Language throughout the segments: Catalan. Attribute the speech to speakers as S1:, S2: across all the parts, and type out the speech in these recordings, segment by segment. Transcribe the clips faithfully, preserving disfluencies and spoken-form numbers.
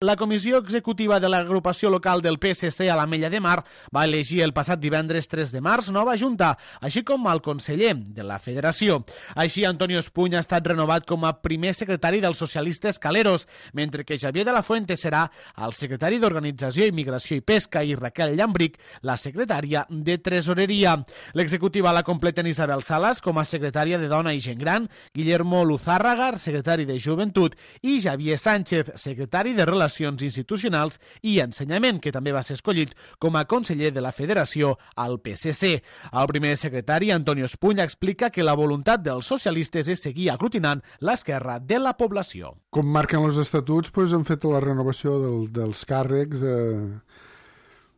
S1: La comissió executiva de l'agrupació local del P S C a l'Ametlla de Mar va elegir el passat divendres tres de març nova junta, així com el conseller de la federació. Així, Antonio Espuny ha estat renovat com a primer secretari dels socialistes caleros, mentre que Xavier de la Fuente serà el secretari d'Organització, Immigració i Pesca i Raquel Llambric, la secretària de Tresoreria. L'executiva la completen Isabel Salas com a secretària de Dona i Gent Gran, Guillermo Luzárraga, secretari de Joventut, i Javier Sánchez, secretari de Relacions Institucionals i Ensenyament, que també va ser escollit com a conseller de la Federació al P S C. El primer secretari, Antonio Espuny, explica que la voluntat dels socialistes és seguir aglutinant l'esquerra de la població.
S2: Com marquen els estatuts, doncs, han fet la renovació del, dels càrrecs de,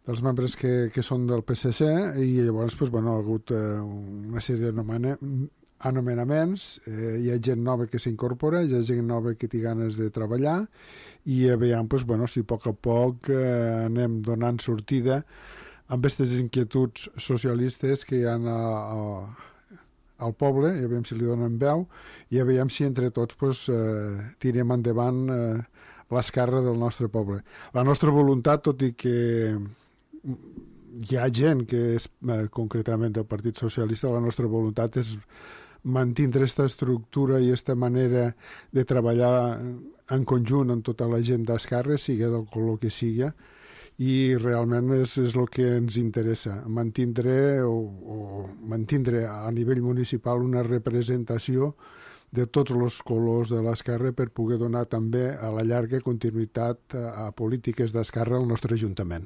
S2: dels membres que, que són del P S C i llavors doncs, bueno, ha hagut eh, una sèrie de anomenaments, eh, hi ha gent nova que s'incorpora, hi ha gent nova que té ganes de treballar i veiem doncs, bueno, si a poc a poc eh, anem donant sortida amb aquestes inquietuds socialistes que hi ha a, a, al poble, i veiem si li donen veu i veiem si entre tots doncs, eh, tirem endavant eh, l'esquerra del nostre poble. La nostra voluntat, tot i que hi ha gent que és eh, concretament del Partit Socialista, la nostra voluntat és mantindre aquesta estructura i aquesta manera de treballar en conjunt amb tota la gent d'esquerra, sigui del color que sigui, i realment és, és el que ens interessa, mantindre, o, o mantindre a nivell municipal una representació de tots els colors de l'esquerra per poder donar també a la llarga continuïtat a polítiques d'esquerra al nostre Ajuntament.